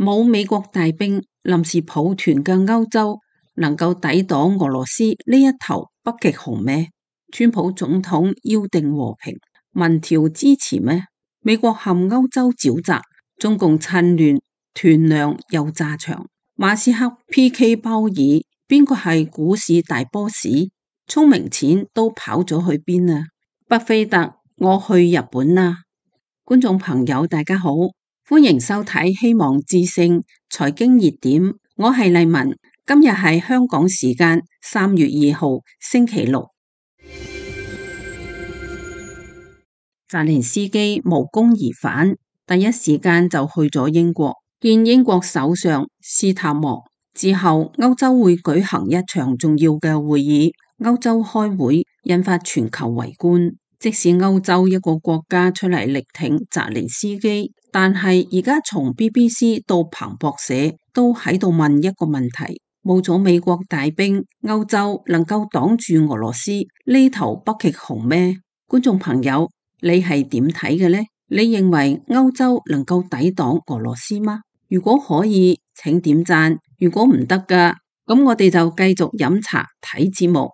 冇美國大兵臨時抱團嘅歐洲能夠抵擋俄羅斯呢一頭北極熊咩？川普總統要定和平，民調支持咩？美國陷歐洲沼澤，中共趁亂團糧又炸場，馬斯克 PK 鮑爾，邊個係股市大 boss？ 聰明錢都跑咗去邊啊？巴菲特，我去日本啦！觀眾朋友大家好，歡迎收睇希望之聲財經熱點，我係麗文，今日係香港時間3月2號星期六。澤連斯基無功而返，第一時間就去咗英國見英國首相斯塔莫，之後歐洲會舉行一場重要嘅會議。歐洲開會引發全球圍觀，即使歐洲一個國家出嚟力挺澤連斯基，但係而家從 BBC 到彭博社都喺度問一個問題：冇咗美國大兵，歐洲能夠擋住俄羅斯呢頭北極熊咩？觀眾朋友，你係點睇嘅呢？你認為歐洲能夠抵擋俄羅斯嗎？如果可以，請點讚；如果唔得㗎，咁我哋就繼續飲茶睇節目。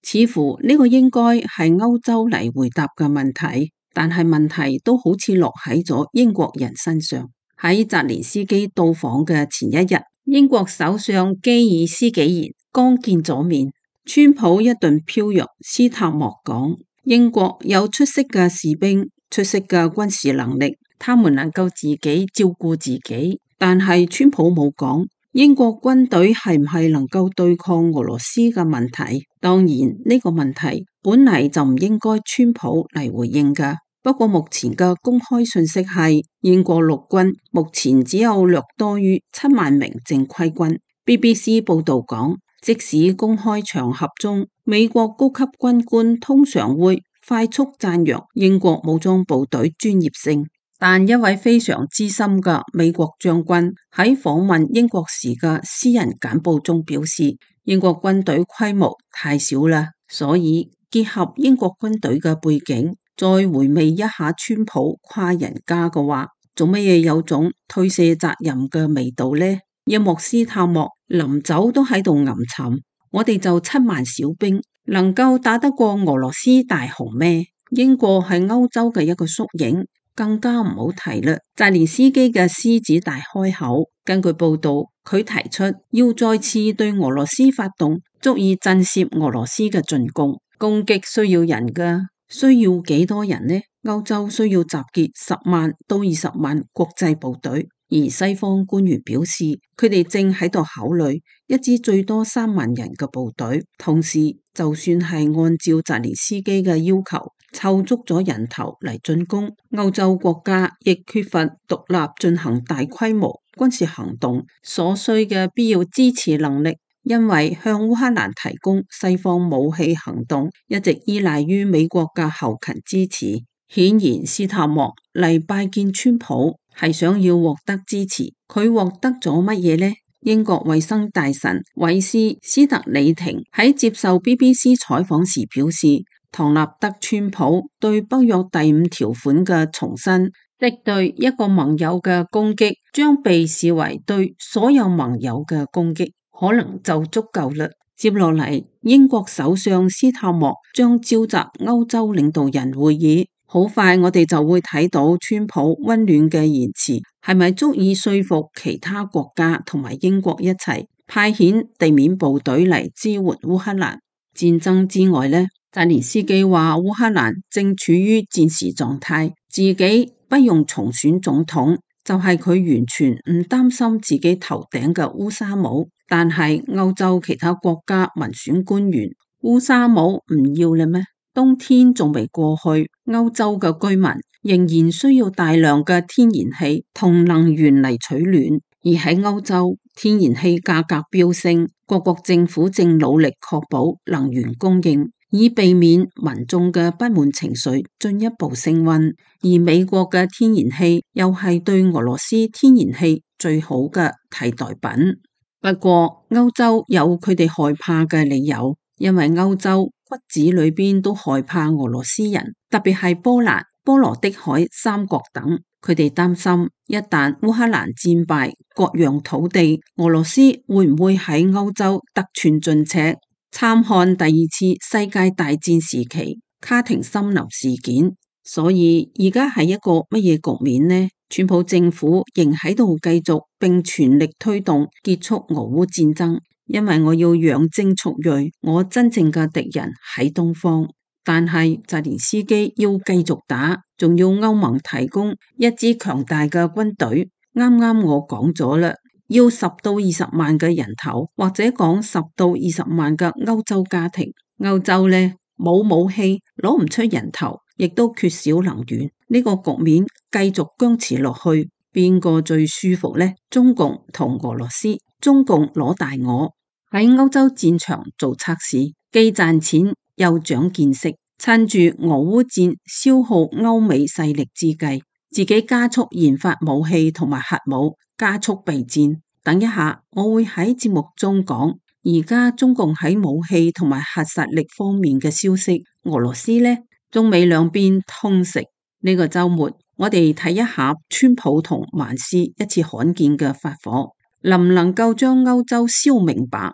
似乎呢個應該係歐洲嚟回答嘅問題，但係問題都好似落喺咗英國人身上。喺澤連斯基到訪嘅前一日，英國首相基爾斯幾賢剛見咗面，川普一頓飄揚，斯塔莫講英國有出色嘅士兵、出色嘅軍事能力，他們能夠自己照顧自己。但係川普冇講英國軍隊係唔係能夠對抗俄羅斯嘅問題。當然呢個問題本嚟就唔應該川普嚟回應㗎。不過目前嘅公開信息係英國陸軍目前只有略多於7萬名正規軍。BBC 報道講，即使公開場合中美國高級軍官通常會快速讚揚英國武裝部隊專業性，但一位非常資深嘅美國將軍喺訪問英國時嘅私人簡報中表示，英國軍隊規模太小啦，所以結合英國軍隊嘅背景，再回味一下川普誇人家嘅話，做乜嘢有種推卸責任嘅味道呢？一幕斯塔莫臨走都喺度吟沉，我哋就7萬小兵，能夠打得過俄羅斯大熊咩？英國係歐洲嘅一個縮影。更加唔好提啦！澤連斯基嘅獅子大開口，根據報道，佢提出要再次對俄羅斯發動足以震懾俄羅斯嘅進攻。攻擊需要人㗎，需要幾多人呢？歐洲需要集結10萬到20萬國際部隊，而西方官員表示，佢哋正喺度考慮一支最多3萬人嘅部隊。同時，就算係按照澤連斯基嘅要求，湊足咗人頭嚟進攻，歐洲國家亦缺乏獨立進行大規模軍事行動所需嘅必要支持能力，因為向烏克蘭提供西方武器行動一直依賴於美國嘅後勤支持。顯然斯塔莫嚟拜見川普係想要獲得支持，佢獲得咗乜嘢呢？英國衛生大臣韋斯斯特里廷喺接受 BBC 採訪時表示，唐納德川普對北約第5條款嘅重申，即對一個盟友嘅攻擊將被視為對所有盟友嘅攻擊，可能就足夠啦。接落嚟，英國首相斯塔莫將召集歐洲領導人會議。好快我哋就會睇到川普溫暖嘅言辭係咪足以說服其他國家同埋英國一齊派遣地面部隊嚟支援烏克蘭。戰爭之外呢，澤連斯基話烏克蘭正處於戰時狀態，自己不用重選總統，就係佢完全唔擔心自己頭頂嘅烏紗帽。但係歐洲其他國家民選官員，烏紗帽唔要啦咩？冬天仲未過去，歐洲嘅居民仍然需要大量嘅天然氣同能源嚟取暖，而喺歐洲天然氣價格飆升，各國政府正努力確保能源供應，以避免民眾嘅不滿情緒進一步升溫。而美國嘅天然氣又係對俄羅斯天然氣最好嘅替代品。不過歐洲有佢哋害怕嘅理由，因為歐洲骨子裏邊都害怕俄羅斯人，特別係波蘭。波羅的海三國等。佢哋擔心，一旦烏克蘭戰敗，割讓土地，俄羅斯會唔會喺歐洲得寸進尺？參看第二次世界大戰時期卡廷森林事件。所以而家係一個乜嘢局面呢？川普政府仍喺度繼續並全力推動結束俄烏戰爭，因為我要養精蓄銳，我真正嘅敵人喺東方。但係澤連斯基要繼續打，仲要歐盟提供一支強大嘅軍隊。啱啱我講咗啦，要10到20萬嘅人頭，或者講10到20萬嘅歐洲家庭。歐洲呢，冇武器，攞唔出人頭，亦都缺少能源。呢個局面繼續僵持落去，邊個最舒服呢？中共同俄羅斯。中共攞大我喺歐洲戰場做測試，既賺錢又長見識，趁住俄烏戰消耗歐美勢力之際，自己加速研發武器同埋核武，加速備戰。等一下我會喺節目中講而家中共喺武器同埋核實力方面嘅消息。俄羅斯呢，中美兩邊通食。呢個周末我哋睇一下川普同萬斯一次罕見嘅發火，能唔能夠將歐洲燒明白？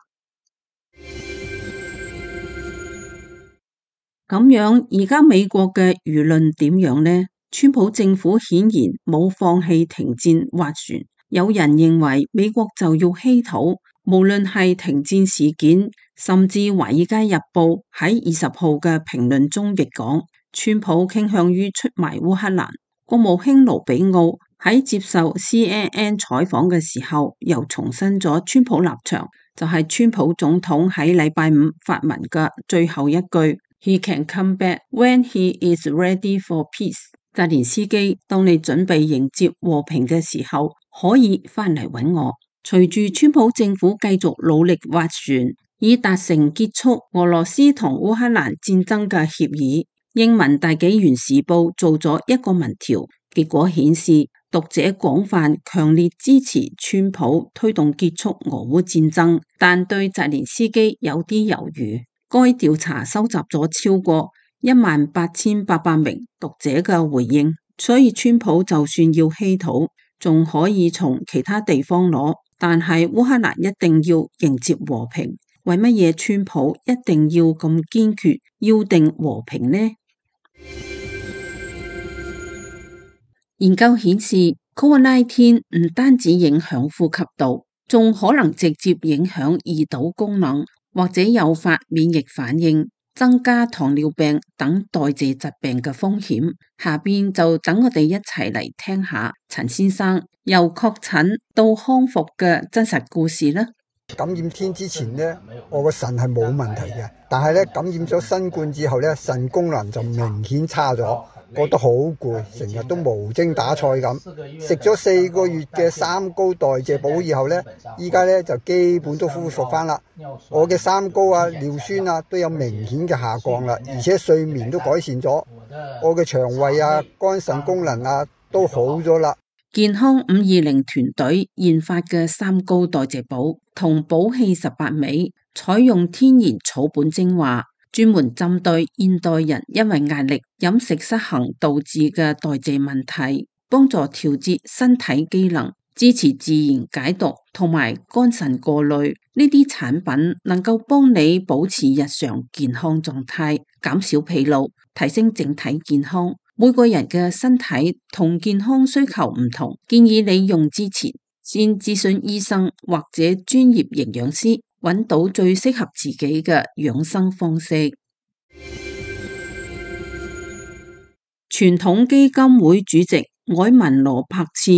咁樣而家美國嘅輿論點樣呢？川普政府顯然冇放棄停戰斡旋，有人認為美國就要稀土。無論係停戰事件，甚至《華爾街日報》喺20號嘅評論中亦講，川普傾向於出賣烏克蘭。國務卿盧比奧喺接受 CNN 採訪嘅時候，又重申咗川普立場，就係川普總統喺禮拜五發文嘅最後一句 ：He can come back when he is ready for peace。澤連斯基，當你準備迎接和平嘅時候，可以翻嚟揾我。隨住川普政府繼續努力斡旋，以達成結束俄羅斯同烏克蘭戰爭嘅協議，英文大紀元時報做咗一個民調，結果顯示讀者廣泛強烈支持川普推動結束俄烏戰爭，但對澤連斯基有啲猶豫。該調查收集咗超過18800名讀者嘅回應，所以川普就算要稀土，仲可以從其他地方攞。但係烏克蘭一定要迎接和平，為乜嘢川普一定要咁堅決要定和平呢？研究顯示 COVID-19 唔單止影響呼吸道，仲可能直接影響胰島功能，或者誘發免疫反應，增加糖尿病等代謝疾病嘅風險。下邊就等我哋一齊嚟聽下陳先生由確診到康復嘅真實故事啦。感染天之前呢，我個腎係冇問題嘅，但係咧感染咗新冠之後咧，腎功能就明顯差咗，覺得好攰，成日都無精打采咁。食咗4個月嘅三高代謝補以後咧，依家咧就基本都恢復翻啦。我嘅三高啊、尿酸啊都有明顯嘅下降啦，而且睡眠都改善咗。我嘅腸胃啊、肝腎功能啊都好咗啦。健康520團隊研發嘅三高代謝補同寶氣18味，採用天然草本精華，專門針對現代人因為壓力、飲食失衡導致嘅代謝問題，幫助調節身體機能，支持自然解毒同埋肝腎過濾。呢啲產品能夠幫你保持日常健康狀態，減少疲勞，提升整體健康。每個人嘅身體同健康需求唔同，建議你用之前先諮詢醫生或者專業營養師，揾到最適合自己嘅養生方式。傳統基金會主席埃文羅柏茨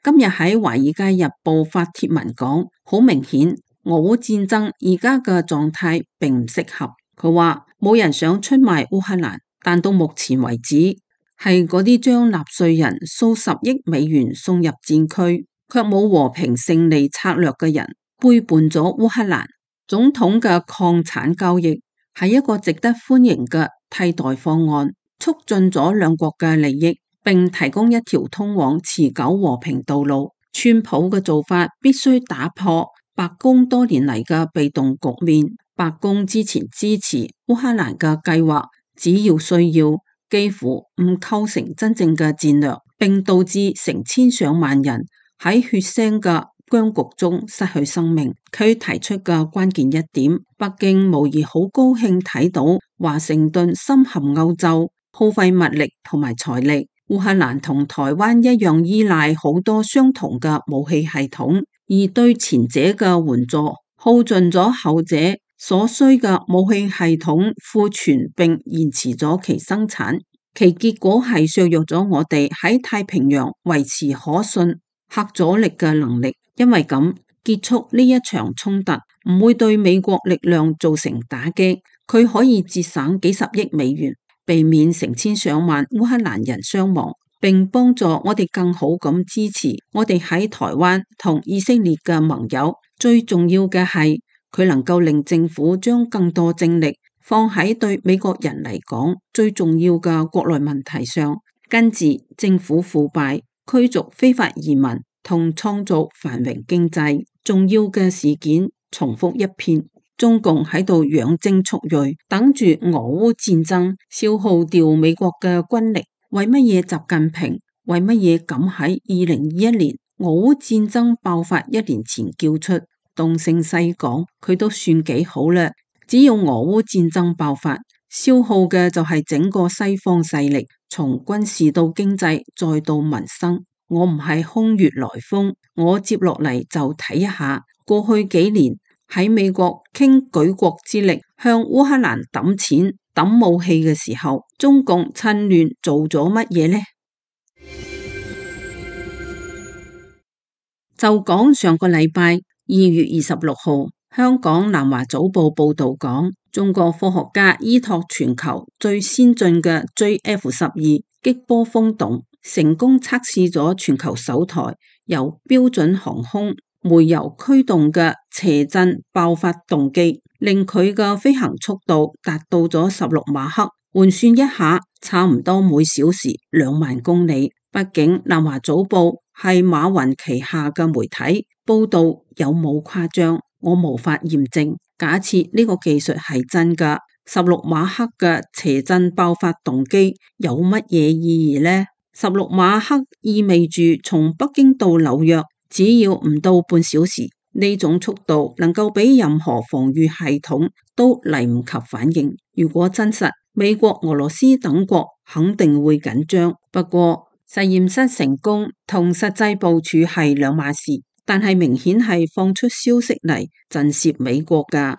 今日喺《華爾街日報》發帖文講，好明顯俄烏戰爭而家嘅狀態並唔適合。佢話冇人想出賣烏克蘭，但到目前為止，係嗰啲將納稅人數十億美元送入戰區，卻冇和平勝利策略嘅人，背叛咗烏克蘭。總統嘅礦產交易係一個值得歡迎嘅替代方案，促進咗兩國嘅利益，並提供一條通往持久和平道路。川普嘅做法必須打破白宮多年嚟嘅被動局面。白宮之前支持烏克蘭嘅計劃，只要需要，幾乎唔構成真正嘅戰略，並導致成千上萬人喺血腥嘅僵局中失去生命。佢提出嘅關鍵一點，北京無疑好高興睇到華盛頓深陷歐洲，耗費物力同埋財力。烏克蘭同台灣一樣依賴好多相同嘅武器系統，而對前者嘅援助耗盡咗後者所需嘅武器系統庫存，並延遲咗其生產，其結果係削弱咗我哋喺太平洋維持可信核阻力嘅能力。因為咁，結束呢一場衝突唔會對美國力量造成打擊，佢可以節省幾十億美元，避免成千上萬烏克蘭人傷亡，並幫助我哋更好咁支持我哋喺台灣同以色列嘅盟友。最重要嘅係，佢能夠令政府將更多精力放喺對美國人嚟講最重要嘅國內問題上，根治政府腐敗、驅逐非法移民同創造繁榮經濟。重要嘅事件重複一遍，中共喺度養精蓄銳，等住俄烏戰爭消耗掉美國嘅軍力。為乜嘢習近平為乜嘢敢喺2021年俄烏戰爭爆發1年前叫出東升西講？佢都算幾好啦。只要俄烏戰爭爆發，消耗嘅就係整個西方勢力，從軍事到經濟再到民生。我唔係空穴來風，我接落嚟就睇一下過去幾年喺美國傾舉國之力向烏克蘭抌錢抌武器嘅時候，中共趁亂做咗乜嘢呢？就講上個禮拜2月26號，香港南華早報報道講，中國科學家依託全球最先進嘅 JF-12擊波風洞，成功測試咗全球首台由標準航空煤油驅動嘅斜震爆發動機，令佢嘅飛行速度達到咗16馬赫，換算一下，差唔多每小時2萬公里。畢竟南華早報係馬雲旗下嘅媒體，報道有冇誇張，我無法驗證。假設呢個技術係真㗎，16馬赫嘅斜震爆發動機有乜嘢意義呢？16馬赫意味住從北京到紐約只要唔到半小時，呢種速度能夠比任何防禦系統都嚟唔及反應。如果真實，美國、俄羅斯等國肯定會緊張。不過實驗室成功同實際部署係兩碼事，但係明顯係放出消息嚟震懾美國㗎。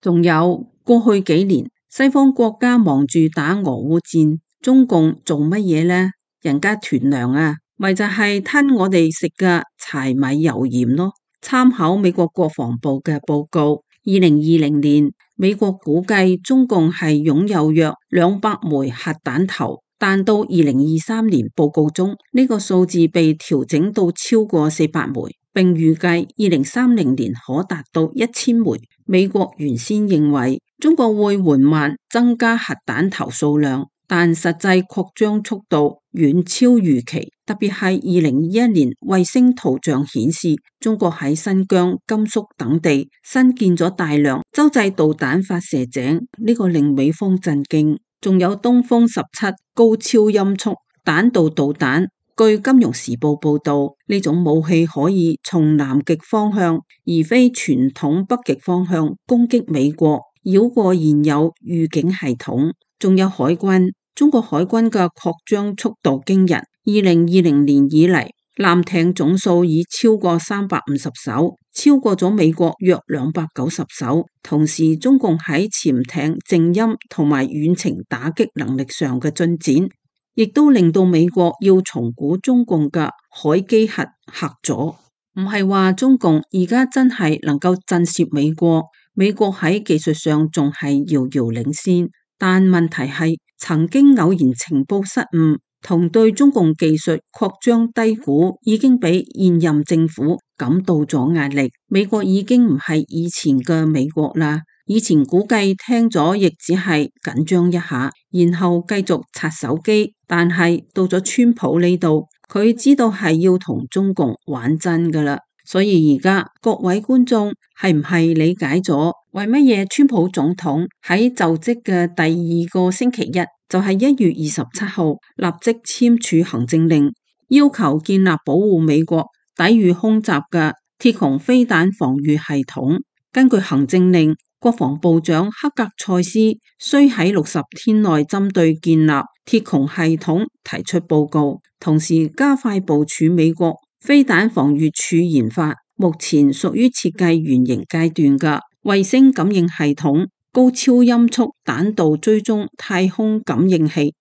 仲有過去幾年，西方國家忙住打俄烏戰，中共做乜嘢呢？人家囤糧啊，咪就係吞我哋食嘅柴米油鹽咯。參考美國國防部嘅報告，2020年美國估計中共係擁有約200枚核彈頭，但到2023年報告中，呢個數字被調整到超過400枚，並預計2030年可達到1000枚。美國原先認為中國會緩慢增加核彈頭數量，但實際擴張速度遠超預期。特別係2021年衛星圖像顯示，中國喺新疆、甘肅等地新建咗大量洲際導彈發射井，呢個令美方震驚。仲有東風17高超音速彈道導彈，據金融時報報道，呢種武器可以從南極方向，而非傳統北極方向攻擊美國，繞過現有預警系統。仲有海軍，中國海軍嘅擴張速度驚人。2020年以嚟，艦艇總數已超過350艘，超過咗美國約290艘。同時，中共喺潛艇、靜音同埋遠程打擊能力上嘅進展，亦都令到美國要重估中共嘅海基核嚇咗。唔係話中共而家真係能夠震懾美國，美國喺技術上仲係遙遙領先，但問題係曾經偶然情報失誤同對中共技術擴張低估，已經俾現任政府感到咗壓力。美國已經唔係以前嘅美國啦，以前估計聽咗亦只係緊張一下，然後繼續刷手機。但係到咗川普呢度，佢知道係要同中共玩真噶啦。所以而家各位觀眾係唔係理解咗為乜嘢川普總統喺就職嘅第二個星期一，就係1月27號立即簽署行政令，要求建立保護美國抵禦空襲嘅鐵穹飛彈防禦系統。根據行政令，國防部長克格塞斯需喺60天內針對建立鐵穹系統提出報告，同時加快部署美國飛彈防禦處研發目前屬於設計原型階段嘅衛星感應系統、高超音速彈道追蹤太空感應器。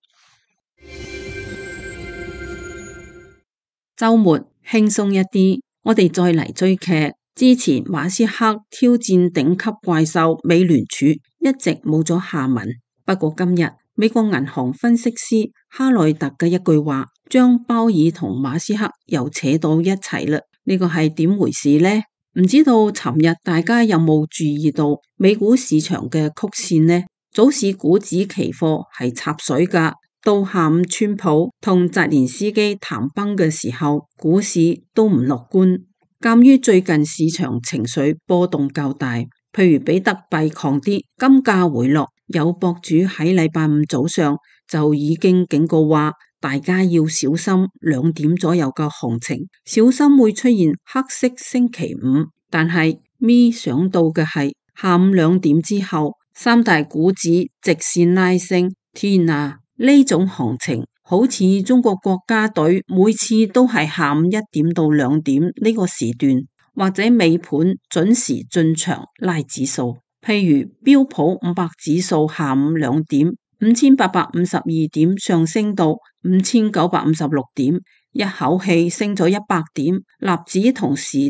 週末輕鬆一啲，我哋再嚟追劇。之前馬斯克挑戰頂級怪獸美聯儲一直冇咗下文，不過今日美國銀行分析師哈內特嘅一句話，將鮑爾同馬斯克又扯到一齊啦。呢個係點回事呢？唔知道尋日大家有冇注意到美股市場嘅曲線呢？早市股指期貨係插水㗎，到下午川普同澤連斯基談崩嘅時候，股市都唔樂觀。鑒於最近市場情緒波動較大，譬如比特幣狂跌，金價回落，有博主喺禮拜五早上就已經警告話，大家要小心2點左右嘅行情，小心會出現黑色星期五。但係咪想到嘅係下午2點之後，三大股指直線拉升，天啊！呢種行情好似中國國家隊每次都係下午1點到2點呢個時段，或者尾盤準時進場拉指數。譬如標普500指數下午2點5852點上升到5956點，一口氣升咗100點。納指同時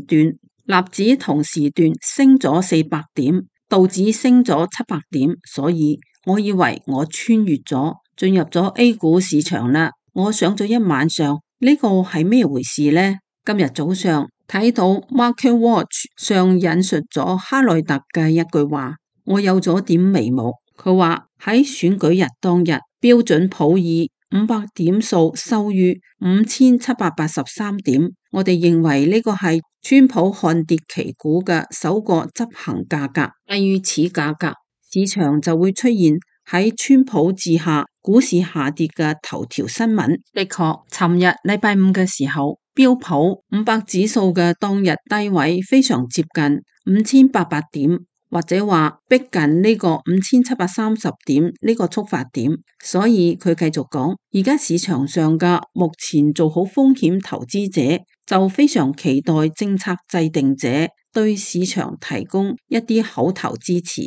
段升咗400點，道指升咗700點。所以我以為我穿越咗，進入咗 A 股市場啦，我上咗一晚上，呢個係咩回事呢？今日早上睇到 MarketWatch 上引述咗哈內特嘅一句話，我有咗點眉目。佢話喺選舉日當日，標準普爾500點數收於5783點，我哋認為呢個係川普看跌期股嘅首個執行價格，低於此價格，市場就會出現喺川普治下股市下跌嘅頭條新聞。的確，尋日禮拜五嘅時候，標普500指數嘅當日低位非常接近5800點，或者話逼近呢個5730點呢個觸發點。所以佢繼續講，而家市場上嘅目前做好風險投資者就非常期待政策制定者對市場提供一啲口頭支持。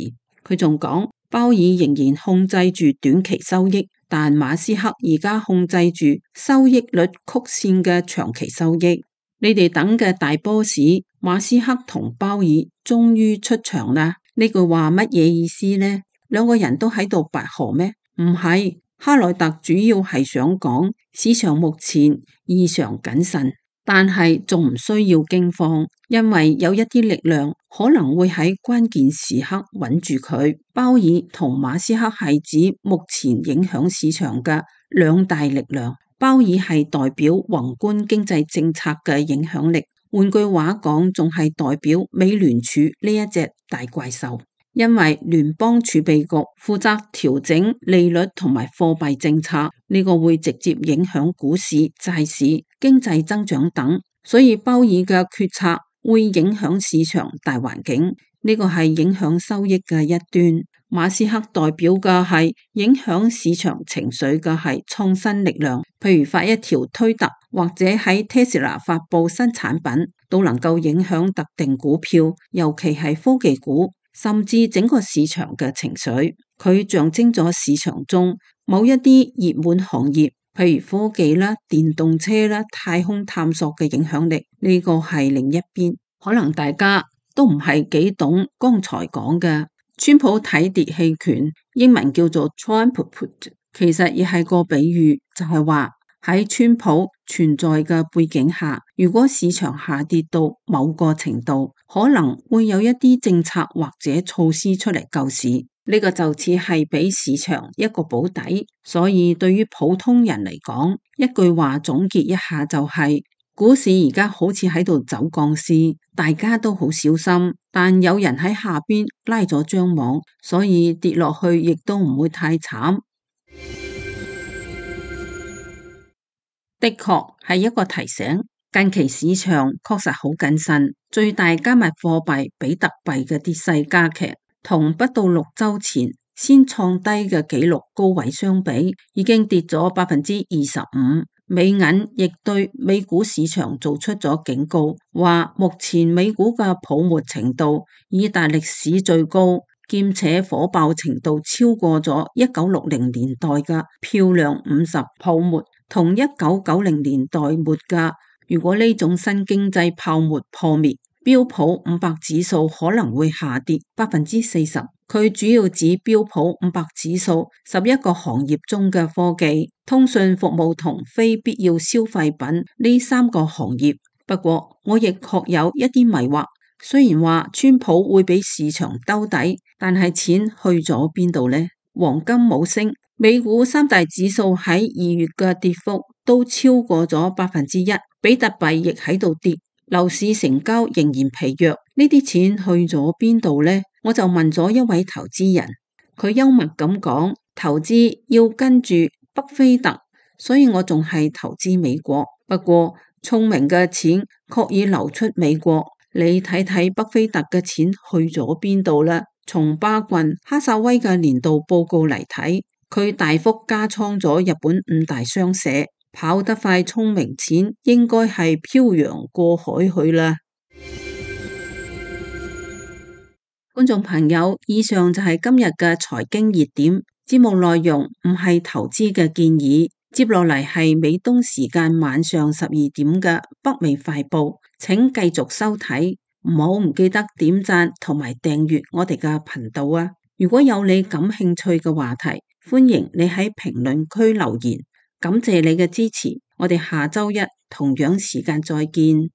佢仲講，鮑爾仍然控制住短期收益，但馬斯克而家控制住收益率曲線嘅長期收益。你哋等嘅大 boss 馬斯克同鮑爾終於出場啦！呢句話乜嘢意思呢？兩個人都喺度拔河咩？唔係，哈內特主要係想講市場目前異常謹慎，但係仲唔需要驚慌，因為有一啲力量可能會喺關鍵時刻穩住佢。鮑爾同馬斯克係指目前影響市場嘅兩大力量。鮑爾係代表宏觀經濟政策嘅影響力，換句話講，仲係代表美聯儲呢一隻大怪獸。因為聯邦儲備局負責調整利率同埋貨幣政策，呢個會直接影響股市、債市、經濟增長等，所以鮑爾嘅決策會影響市場大環境，呢個係影響收益嘅一端。馬斯克代表嘅係影響市場情緒嘅係創新力量，譬如發一條推特或者喺 Tesla 發佈新產品，都能夠影響特定股票，尤其係科技股，甚至整個市場嘅情緒。佢象徵咗市場中某一啲熱門行業，譬如科技啦、電動車啦、太空探索嘅影響力。呢個係另一邊，可能大家都唔係幾懂剛才講嘅。川普睇跌棄權，英文叫做 Trump put， 其實亦係個比喻，就係話喺川普存在嘅背景下，如果市場下跌到某個程度，可能會有一啲政策或者措施出嚟救市，呢個就似係俾市場一個保底。所以對於普通人嚟講，一句話總結一下就係股市而家好似喺度走鋼絲，大家都好小心，但有人喺下邊拉咗張網，所以跌落去亦都唔會太慘。的確係一個提醒，近期市場確實好謹慎，最大加密貨幣比特幣嘅跌勢加劇，同不到6週前先創低嘅紀錄高位相比，已經跌咗25%。美銀亦對美股市場做出咗警告，話目前美股嘅泡沫程度已達歷史最高，兼且火爆程度超過咗1960年代嘅漂亮50泡沫，同1990年代末嘅。如果呢種新經濟泡沫破滅，標普500指數可能會下跌40%。佢主要指標普500指數11個行業中嘅科技、通訊服務同非必要消費品呢3個行業。不過我亦確有一啲迷惑，雖然話川普會俾市場兜底，但係錢去咗邊度呢？黃金冇升，美股3大指數喺2月嘅跌幅都超過咗1%，比特幣亦喺度跌，樓市成交仍然疲弱，呢啲錢去咗邊度呢？我就問咗一位投資人，佢幽默咁講，投資要跟住北菲特，所以我仲係投資美國。不過聰明嘅錢確已流出美國，你睇睇北菲特嘅錢去咗邊度啦？從巴郡哈薩威嘅年度報告嚟睇，佢大幅加倉咗日本5大商社，跑得快聰明錢應該係漂洋過海去啦。觀眾朋友，以上就係今日嘅財經熱點，節目內容唔係投資嘅建議。接落嚟係美東時間晚上12點嘅北美快報，請繼續收睇，唔記得點讚同埋訂閱我哋嘅頻道啊！如果有你感興趣嘅話題，歡迎你喺評論區留言。感謝你嘅支持，我哋下周一同樣時間再見。